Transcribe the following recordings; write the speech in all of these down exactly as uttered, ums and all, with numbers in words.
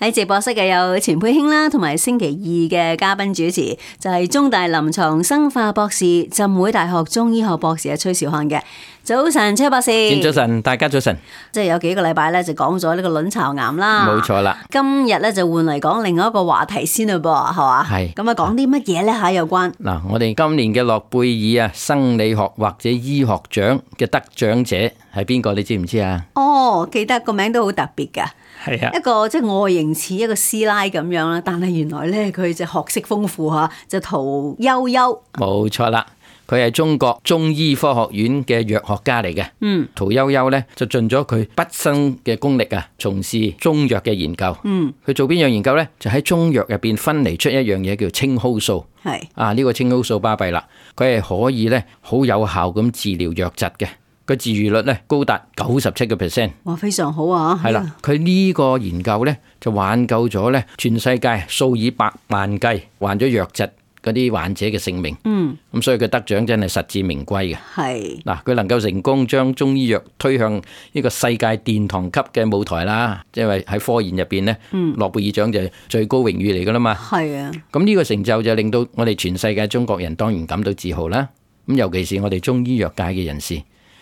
喺直播室嘅有錢佩卿啦，同埋星期二嘅嘉賓主持就係中大臨床生化博士、浸會大學中醫學博士嘅崔兆漢嘅。早晨，崔博士。早晨，大家早晨。即係有幾個禮拜咧，就講咗呢個卵巢癌啦。冇錯啦。今日咧就換嚟講另外一個話題先嘞噃，係嘛？係。咁啊，講啲乜嘢咧吓？有關嗱，我哋今年嘅諾貝爾啊生理學或者醫學獎嘅得獎者係邊個？你知唔知啊？哦，記得個名都好特別噶。係啊，一個即係外形似一個師奶咁樣啦，但係原來咧佢就學識豐富吓，就屠呦呦。冇錯啦，佢係中國中醫科學院嘅藥學家嚟嘅。嗯，屠呦呦咧就盡咗佢畢生嘅功力啊，從事中藥嘅研究。嗯，佢做邊樣研究咧？就喺中藥入邊分離出一樣嘢叫青蒿素。係啊，呢個青蒿素巴閉啦，佢係可以咧好有效咁治療瘧疾嘅。個治愈率咧高達九十七個 percent， 哇，非常好啊！係啦，佢呢個研究咧就挽救咗咧全世界數以百萬計患咗瘧疾嗰啲患者嘅性命。嗯，咁所以佢得獎真係實至名歸嘅。係嗱，佢能夠成功將中醫藥推向呢個世界殿堂級嘅舞台啦，即係喺科研入邊咧，諾貝爾獎就係最高榮譽嚟噶啦嘛。係啊，咁呢個成就就令到我哋全世界中國人當然感到自豪啦。咁尤其是我哋中醫藥界嘅人士。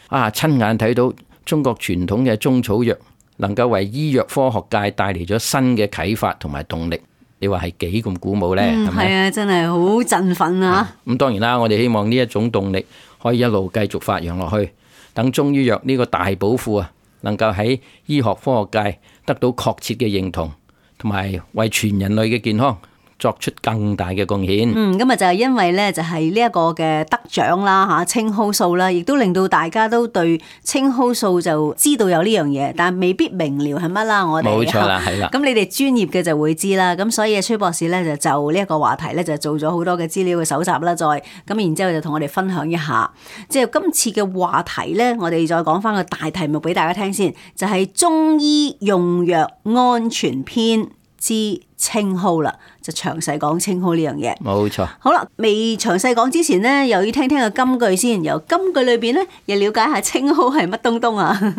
啊！親眼睇到中國傳統嘅中草藥能夠為醫藥科學界帶嚟咗新嘅啟發同埋動力，你話係幾咁鼓舞呢？係咪？係啊，真係好振奮啊！咁當然啦，我哋希望呢一種動力可以一路繼續發揚落去，等中醫藥呢個大寶庫啊，能夠喺醫學科學界得到確切嘅認同，同埋為全人類嘅健康作出更大嘅貢獻。嗯，咁啊就係因為咧，就係呢一個嘅得獎啦吓，青蒿素啦，亦都令到大家都對青蒿素就知道有呢樣嘢，但未必明了係乜啦。我哋冇錯啦，係啦。咁你哋專業嘅就會知啦。咁所以崔博士咧就就呢一個話題咧就做咗好多嘅資料嘅搜集啦，再咁然之後就同我哋分享一下。即係今次嘅話題咧，我哋再講翻個大題目俾大家聽先，就係中醫用藥安全篇之青蒿啦，就詳細講青蒿呢樣嘢。冇錯。好啦，未詳細講之前呢，又要聽聽個金句先。由金句裏邊呢，又了解下青蒿係乜東東啊？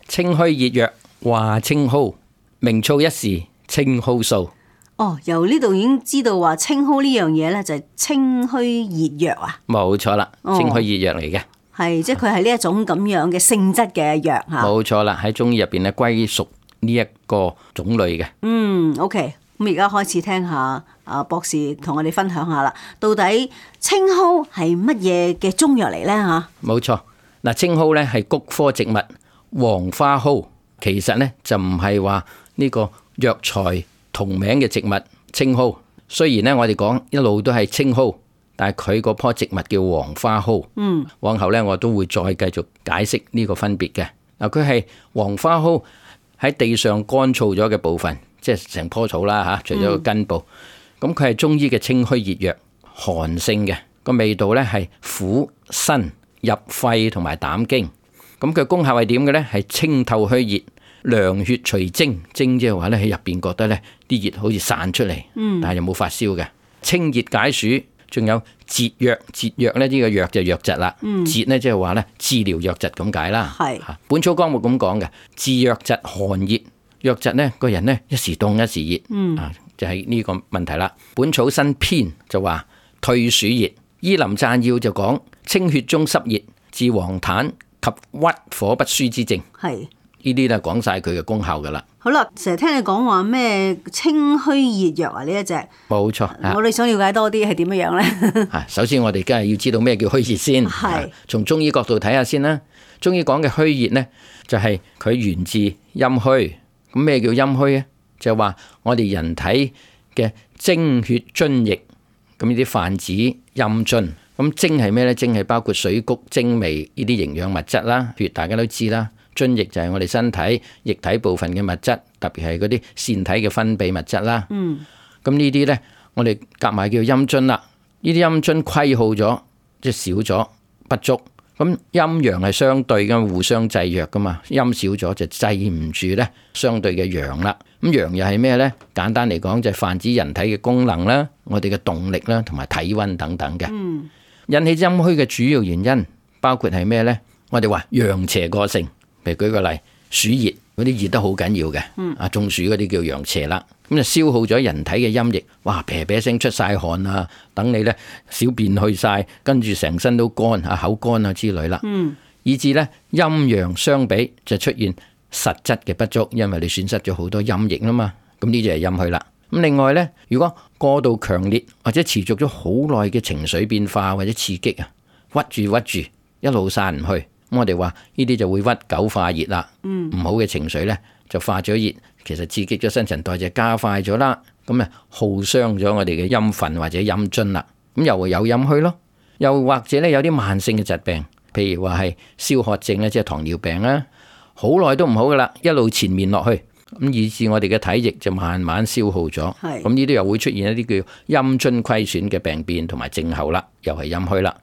清虛熱藥話青蒿，名噪一時青蒿素。哦，由呢度已經知道話青蒿呢樣嘢咧，就係清虛熱藥啊。冇錯啦，清虛熱藥嚟嘅。係、哦，即係佢係呢一種咁樣嘅性質嘅藥吓。冇錯啦，喺中醫入邊咧歸屬呢一個種類嘅。嗯 ，OK，咁而家開始聽下啊博士同我哋分享下啦，到底青蒿係乜嘢嘅中藥嚟咧吓？冇錯，嗱，青蒿咧係菊科植物黃花蒿，其實咧就唔係話呢個藥材同名嘅植物青蒿。雖然咧我哋講一路都係青蒿，但係佢嗰棵植物叫黃花蒿。嗯，往後咧我都會再繼續解釋呢個分別嘅。嗱，佢係黃花蒿。喺地上乾燥咗嘅部分，即係成棵草啦嚇，除咗個根部，咁佢係中醫嘅清虛熱藥，寒性嘅，個味道咧係苦辛入肺同埋膽經。咁佢功效係點嘅咧？係清透虛熱、涼血除蒸，蒸即係話咧喺入邊覺得咧啲熱好似散出嚟，但係又冇發燒嘅，清熱解暑。仲有節瘧，節瘧咧呢個瘧就瘧疾啦，節咧即係話咧治療瘧疾咁解啦。係《本草綱目》咁講嘅，治瘧疾寒熱，瘧疾咧個人咧一時凍一時熱，嗯、啊就係、是、呢個問題啦。《本草新篇》就話退暑熱，《醫林贊要》就講清血中濕熱，治黃疸及鬱火不舒之症。係呢啲咧講晒佢嘅功效噶啦。好啦，成日聽你講話咩清虛熱藥啊？呢一隻冇錯，我哋想了解多啲係點樣樣咧？首先我哋梗係要知道咩叫虛熱先。係從中醫角度睇下先啦。中醫講嘅虛熱咧，就係、是、佢源自陰虛。咁咩叫陰虛咧？就係話我哋人體嘅精血津液，咁呢啲泛指陰津。咁精係咩咧？精係包括水谷精微呢啲營養物質啦，譬如大家都知啦。津液就係我哋身體液體部分嘅物質，特別係嗰啲腺體嘅分泌物質啦。嗯，咁呢啲呢，我哋夾埋叫陰津啦。呢啲陰津虧耗咗，即係少咗不足。咁陰陽係相對嘅，互相制約噶嘛。陰少咗就制唔住呢相對嘅陽啦。咁陽又係咩呢？簡單嚟講就係泛指人體嘅功能啦，我哋嘅動力啦，同埋體溫等等嘅。嗯，引起陰虛嘅主要原因包括係咩呢？我哋話陽邪過盛。譬如舉個例，暑熱嗰啲熱得好緊要嘅，啊中暑嗰啲叫陽邪啦。咁就消耗咗人體嘅陰液，哇啤啤聲出晒汗啊，等你呢小便去晒，跟住成身都乾啊，口乾啊之類啦。嗯，以至呢陰陽相比就出現實質嘅不足，因為你損失咗好多陰液啦嘛。咁呢就係陰虛啦。咁另外呢，如果過度強烈或者持續咗好耐嘅情緒變化或者刺激啊，屈住屈住一路散唔去，咁我哋話呢啲就會屈久化熱啦。嗯，唔好嘅情緒呢就化咗熱，其實刺激咗新陳代謝加快咗啦，咁啊耗傷咗我哋嘅陰分或者陰津啦，咁又會有陰虛咯。又或者咧有啲慢性嘅疾病，譬如話係燒渴症咧，即係糖尿病啦，好耐都唔好噶啦，一路纏綿落去，咁以致我哋嘅體液就慢慢消耗咗。係咁呢啲又會出現一啲叫陰津虧損嘅病變同埋症候啦，又係陰虛啦。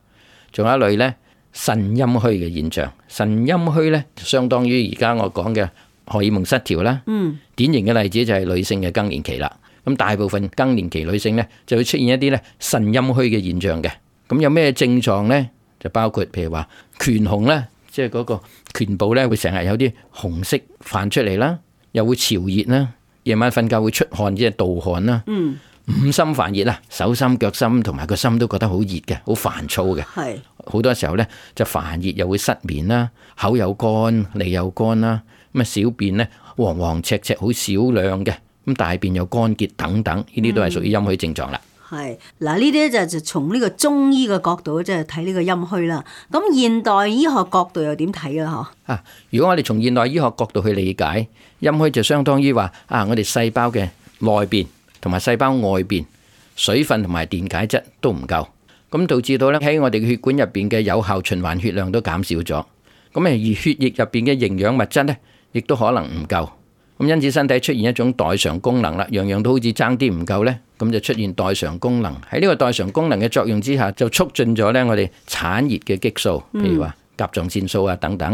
仲有一類咧腎陰虛嘅現象，腎陰虛咧相當於而家我講嘅荷爾蒙失調啦。嗯，典型嘅例子就係女性嘅更年期啦。咁大部分更年期女性咧就會出現一啲咧腎陰虛嘅現象嘅。咁有咩症狀呢？就包括譬如話顴紅咧，即係嗰個顴部咧會成日有啲紅色泛出嚟啦，又會潮熱啦，夜晚瞓覺會出汗，即係盜汗啦。嗯，五心煩熱啦，手心腳心同埋個心都覺得好熱嘅，好煩躁嘅。係好多時候咧就煩熱又會失眠啦，口又乾，脷又乾啦。咁啊，小便咧黃黃赤赤好少量嘅，咁大便又乾結等等，呢啲都係屬於陰虛症狀啦。係嗱，呢啲就就從呢個中醫嘅角度即係睇呢個陰虛啦。咁現代醫學角度又點睇啦？嗬啊，如果我哋從現代醫學角度去理解陰虛，就相當於話啊，我哋細胞嘅內邊同埋細胞外邊水分同埋電解質都唔夠，咁導致到咧喺我哋嘅血管入邊嘅有效循環血量都減少咗。咁而血液入邊嘅營養物質咧，亦都可能唔夠。咁因此身體出現一種代償功能啦，樣樣都好似爭啲唔夠呢，咁就出現代償功能。喺呢個代償功能嘅作用之下，就促進咗呢我哋產熱嘅激素，譬如話甲狀腺素啊等等。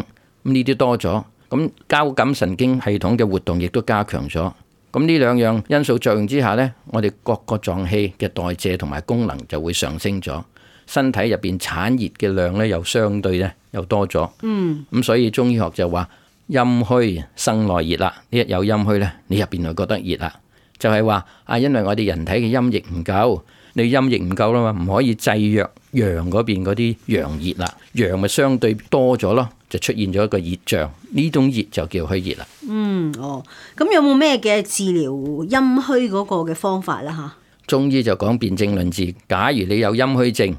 咁呢啲多咗，咁交感神經系統嘅活動亦都加強咗。咁呢兩樣因素作用之下呢，我哋各個臟器嘅代謝同埋功能就會上升咗，身體入邊產熱嘅量呢又相對呢又多咗。嗯，咁所以中醫學就話，陰虛生內熱啦，呢一有陰虛呢，你入邊就覺得熱啦，就係話啊，因為我哋人體嘅陰液唔夠，你陰液唔夠啦嘛，唔可以制約陽嗰邊嗰啲陽熱啦，陽咪相對多咗咯，就出現咗一個熱脹，呢種熱就叫虛熱啦。嗯，哦，咁有冇咩嘅治療陰虛嗰個嘅方法啦？吓，中醫就講辨證論治，假如你有陰虛症，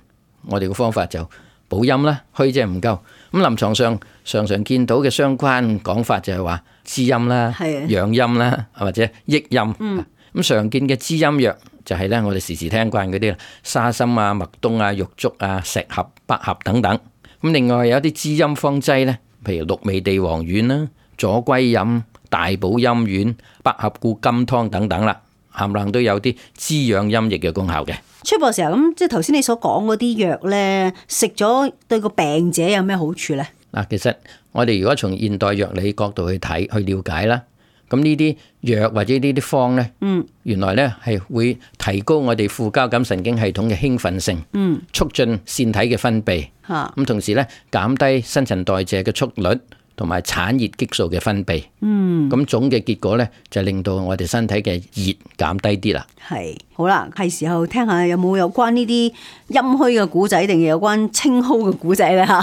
我哋嘅方法就補陰啦，虛即係唔夠。咁臨床上常常見到嘅相關講法就係話滋陰啦、養陰啦，或者益陰。咁、嗯、常見嘅滋陰藥就係咧，我哋時時聽慣嗰啲沙參啊、麥冬啊、玉竹啊、石斛、百合等等。咁另外有啲滋陰方劑咧，譬如鹿味地黃丸啦、左歸飲、大補陰丸、百合固金湯等等啦，冚唪唥都有啲滋養陰液嘅功效嘅。崔博士啊，咁即係頭先你所講嗰啲藥咧，食咗對個病者有咩好處咧？嗱，其實我哋如果從現代藥理角度去睇去了解啦，咁呢啲藥或者呢啲方咧，嗯，原來咧係會提高我哋副交感神經系統嘅興奮性，嗯，促進腺體嘅分泌，嚇，咁同時咧減低新陳代謝嘅速率，同埋產熱激素嘅分泌，嗯，咁總嘅結果咧就令到我哋身體嘅熱減低啲啦。係，好啦，係時候聽下有冇有關呢啲陰虛嘅古仔，定係有關青蒿嘅古仔咧吓？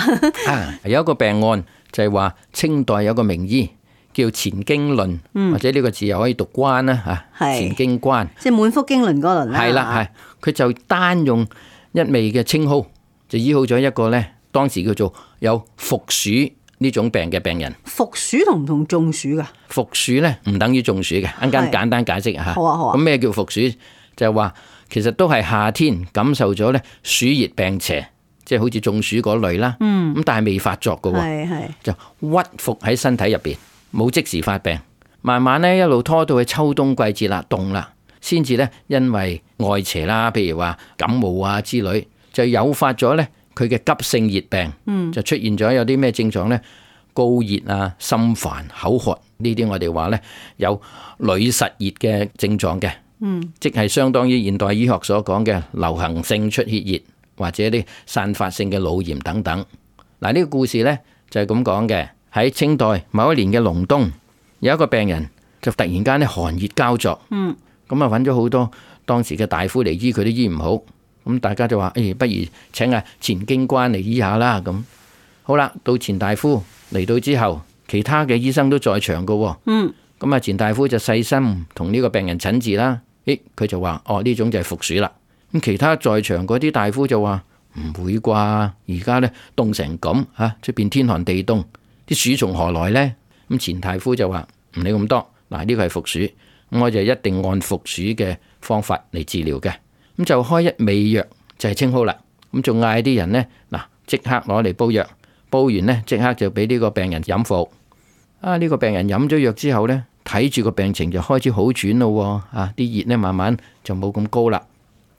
啊，有一個病案就係話清代有個名醫叫錢經倫，嗯、或者呢個字又可以讀關啦吓，錢經關，即係滿腹經綸嗰輪啦。係啦，係，佢就單用一味嘅青蒿就醫好咗一個咧，當時叫做有伏暑呢種病嘅病人。伏暑同唔同中暑噶？伏暑咧唔等於中暑嘅，一陣間簡單解釋下。好啊好啊。咁咩叫伏暑？就係話其實都係夏天感受咗咧暑熱病邪，即係好似中暑嗰類啦。嗯。咁但係未發作嘅喎。係係。就屈伏喺身體入邊，冇即時發病，慢慢咧一路拖到去秋冬季節啦，凍啦，先至咧因為外邪啦，譬如話感冒啊之類，就誘發咗咧佢嘅急性熱病，嗯、就出現咗有啲咩症狀咧？高熱啊、心煩、口渴呢啲，我哋話咧有屢實熱嘅症狀嘅，嗯、即係相當於現代醫學所講嘅流行性出血熱或者啲散發性嘅腦炎等等。嗱，呢個故事咧就係咁講嘅。喺清代某一年嘅隆冬，有一個病人就突然間咧寒熱交作，咁、嗯、咁啊揾咗好多當時嘅大夫嚟醫，佢都醫唔好。咁大家就話：誒、哎，不如請阿錢京關嚟醫下啦。咁好啦，到錢大夫嚟到之後，其他嘅醫生都在場噶。嗯。咁啊，錢大夫就細心同呢個病人診治啦。誒，佢就話：哦，呢種就係伏鼠啦。咁其他在場嗰啲大夫就話：唔會啩？而家呢凍成咁嚇，出邊天寒地凍，啲鼠從何來呢？咁錢大夫就話：唔理咁多，嗱，呢個係伏鼠，咁我就一定按伏鼠嘅方法嚟治療嘅。咁就開一味藥就係青蒿啦。咁仲嗌啲人呢，嗱，即刻攞嚟煲藥，煲完呢，即刻就俾呢個病人飲服。啊，呢個病人飲咗藥之後呢，睇住個病情就開始好轉咯。啊，啲熱呢慢慢就冇咁高啦。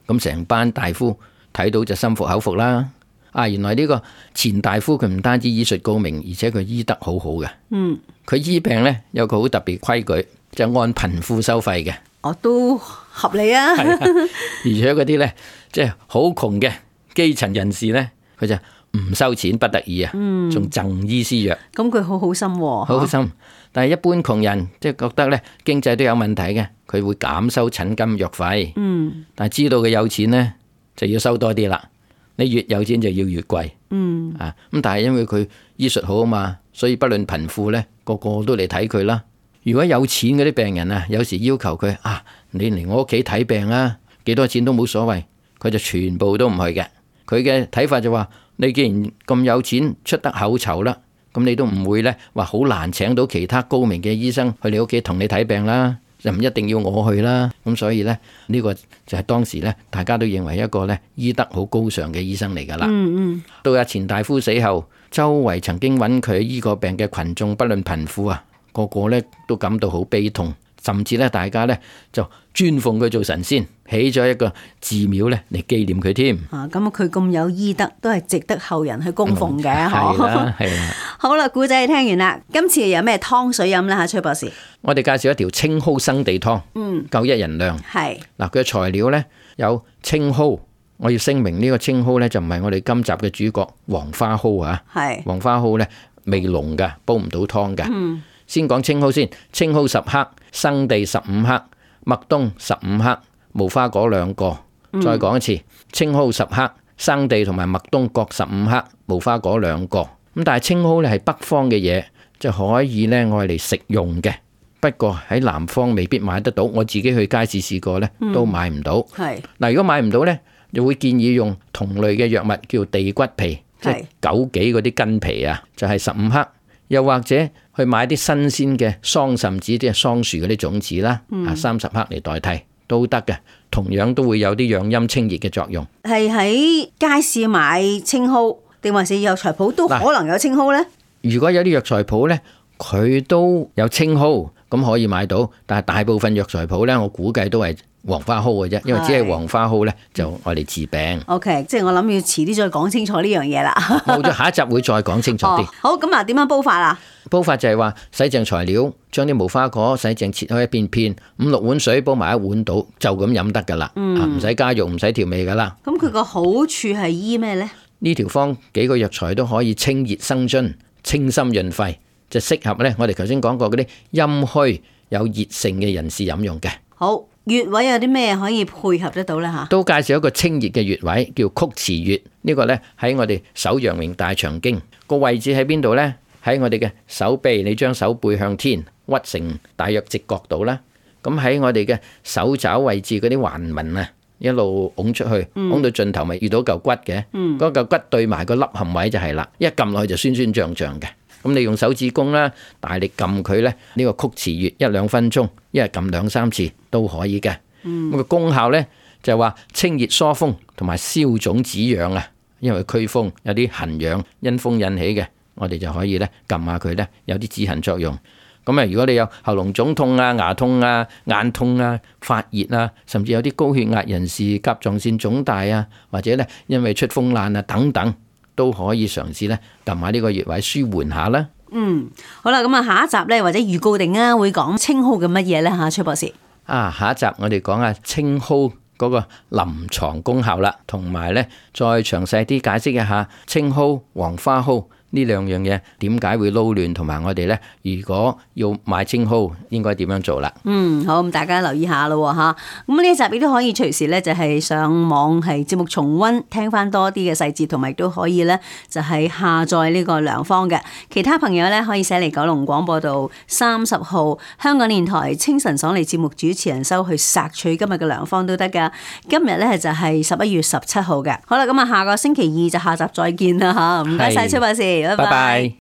咁成班大夫睇到就心服口服啦。啊，原來呢個錢大夫佢唔單止醫術高明，而且佢醫得好好嘅。嗯，佢醫病呢，有個好特別規矩，就按貧富收費嘅。哦，都合理啊。係啊，而且嗰啲呢，即係好窮嘅基層人士呢，佢就唔收錢，不得已啊，仲贈醫施藥。咁佢好好心喎，好好心。但係一般窮人即係覺得呢經濟都有問題嘅，佢會減收診金藥費。嗯，但係知道佢有錢呢，就要收多啲啦。你越有錢就要越貴。嗯，啊咁，但係因為佢醫術好啊嘛，所以不論貧富呢，個個都嚟睇佢啦。如果有錢嗰啲病人啊，有時要求佢啊，你嚟我屋企睇病啊，幾多錢都冇所謂，佢就全部都唔去嘅。佢嘅睇法就話：你既然咁有錢，出得口籌啦，咁你都唔會呢話好難請到其他高明嘅醫生去你屋企同你睇病啦，就唔一定要我去啦。咁所以呢，呢個就係當時呢，大家都認為一個呢醫德好高尚嘅醫生嚟噶啦。嗯嗯。到阿錢大夫死後，周圍曾經揾佢醫過病嘅群眾，不論貧富啊，個個呢都感到好悲痛，甚至呢大家呢就尊奉佢做神仙，起咗一個寺廟呢嚟紀念佢添。啊，咁佢咁有醫德，都係值得後人去供奉嘅。係啦，係啦。好啦，古仔聽完啦，今次有咩湯水飲啦？吓，崔博士，我哋介紹一條青蒿生地湯，嗯，夠一人量。係嗱，佢嘅材料呢有青蒿。我要聲明呢個青蒿呢，就唔係我哋今集嘅主角黃花蒿啊。係黃花蒿呢，味濃噶，煲唔到湯噶。嗯，先講青蒿先，青蒿十克，生地十五克，麥冬十五克，無花果兩個。再講一次，青蒿十克，生地同埋麥冬各十五克，無花果兩個。咁但係青蒿咧係北方嘅嘢，就可以咧愛嚟食用嘅。不過喺南方未必買得到，我自己去街市試過咧，都買唔到。係嗱，如果買唔到咧，就會建議用同類嘅藥物叫地骨皮，即係枸杞嗰啲根皮啊，就係十五克。又或者去買啲新鮮嘅桑葚子，即係桑樹嗰啲種子啦，啊三十克嚟代替都得嘅，同樣都會有啲養陰清熱嘅作用。係喺街市買青蒿，定還是藥材鋪都可能有青蒿呢？如果有啲藥材鋪呢，佢都有青蒿，咁可以買到。但係大部分藥材鋪呢，我估計都係黃花蒿嘅啫，因為只係黃花蒿呢，就愛嚟治病。OK， 即係我諗要遲啲再講清楚呢樣嘢啦。冇咗，下一集會再講清楚啲。哦。好，咁啊，點樣煲法啊？煲法就係話洗淨材料，將啲無花果洗淨切開一片片，五六碗水煲埋一碗到，就咁飲得噶啦。唔使加肉，唔使調味噶啦。咁佢個好處係醫咩呢？呢條方幾個藥材都可以清熱生津、清心潤肺，就適合呢我哋頭先講過嗰啲陰虛有熱性嘅人士飲用嘅。好，穴位有啲咩可以配合得到呢？吓，都介紹一個清熱嘅穴位，叫曲池穴。呢個呢喺我哋手陽明大腸經個位置喺邊度呢？喺我哋嘅手臂，你將手背向天屈成大約直角度啦。咁喺我哋嘅手爪位置嗰啲環紋啊，一路拱出去，拱、嗯、到盡頭咪遇到嚿骨嘅。嗰、嗯、嚿骨對埋個凹陷位就係啦，一撳落去就酸酸脹脹嘅。咁你用手指公啦，大力撳佢咧，呢、這個曲池穴一兩分鐘，一日撳兩三次都可以嘅。咁、嗯、個功效咧就係話清熱疏風同埋消腫止癢啊，因為驅風有啲痕癢因風引起嘅。我哋就可以咧撳下佢咧，有啲止痕作用。咁啊，如果你有喉嚨腫痛啊、牙痛啊、眼痛啊、發熱啊，甚至有啲高血壓人士、甲狀腺腫大啊，或者咧因為出風爛啊等等，都可以嘗試咧撳下呢個穴位舒緩下啦。嗯，好啦，咁啊下一集咧或者預告定啊會講青蒿嘅乜嘢咧吓，崔博士。啊，下一集我哋講下青蒿嗰個臨床功效啦，同埋咧再詳細啲解釋一下青蒿、黃花蒿呢兩樣嘢點解會撈亂，同埋我哋呢，如果要買青蒿應該點樣做啦。嗯，好，咁大家留意下咯吓。咁呢一集亦都可以隨時呢，就係上網係節目重溫，聽翻多啲嘅細節，同埋都可以呢，就係下載呢個良方嘅。其他朋友呢，可以寫嚟九龍廣播道三十號香港電台清晨爽利節目主持人收去索取今日嘅良方都得噶。今日呢，就係十一月十七號嘅。好啦，咁啊下個星期二就下集再見啦吓。唔該晒崔博士，拜拜。拜拜。